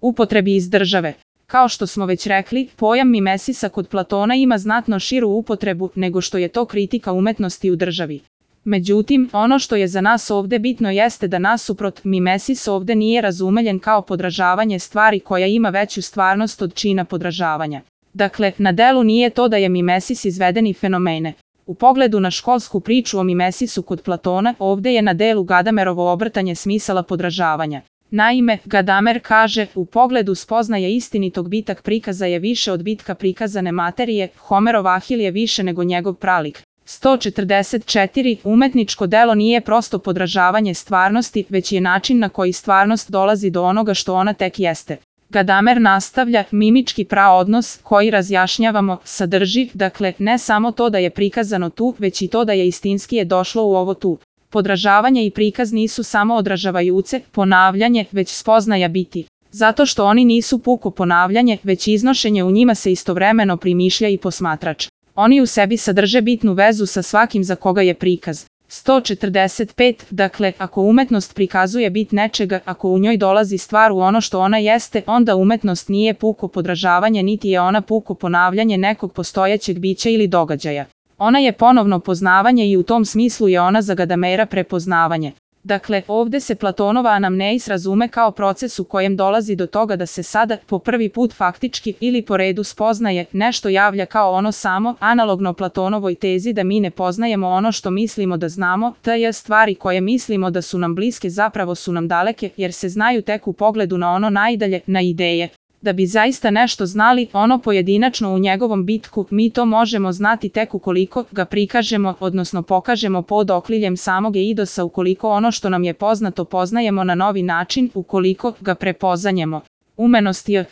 upotrebi iz države. Kao što smo već rekli, pojam mimesisa kod Platona ima znatno širu upotrebu nego što je to kritika umetnosti u državi. Međutim, ono što je za nas ovde bitno jeste da nasuprot mimesis ovde nije razumeljen kao podražavanje stvari koja ima veću stvarnost od čina podražavanja. Dakle, na delu nije to da je mimesis izvedeni fenomene. U pogledu na školsku priču o mimesisu kod Platona, ovde je na delu Gadamerovo obrtanje smisala podražavanja. Naime, Gadamer kaže, u pogledu spoznaje istinitog bitak prikaza je više od bitka prikazane materije, Homerov Ahil je više nego njegov pralik. 144. Umetničko delo nije prosto podražavanje stvarnosti, već je način na koji stvarnost dolazi do onoga što ona tek jeste. Gadamer nastavlja, mimički praodnos koji razjašnjavamo sadrži, dakle, ne samo to da je prikazano tu, već i to da je istinski je došlo u ovo tu. Podražavanje i prikaz nisu samo odražavajuce, ponavljanje, već spoznaja biti. Zato što oni nisu puko ponavljanje, već iznošenje u njima se istovremeno primišlja i posmatrač. Oni u sebi sadrže bitnu vezu sa svakim za koga je prikaz. 145. Dakle, ako umetnost prikazuje bit nečega, ako u njoj dolazi stvar u ono što ona jeste, onda umetnost nije puko podražavanje niti je ona puko ponavljanje nekog postojećeg bića ili događaja. Ona je ponovno poznavanje i u tom smislu je ona za Gadamera prepoznavanje. Dakle, ovde se Platonova anamneis razume kao proces u kojem dolazi do toga da se sada, po prvi put faktički ili po redu spoznaje, nešto javlja kao ono samo, analogno Platonovoj tezi da mi ne poznajemo ono što mislimo da znamo, tj. stvari koje mislimo da su nam bliske zapravo su nam daleke, jer se znaju tek u pogledu na ono najdalje, na ideje. Da bi zaista nešto znali, ono pojedinačno u njegovom bitku, mi to možemo znati tek ukoliko ga prikažemo, odnosno pokažemo pod okriljem samog eidosa ukoliko ono što nam je poznato poznajemo na novi način, ukoliko ga prepoznajemo. Umenost je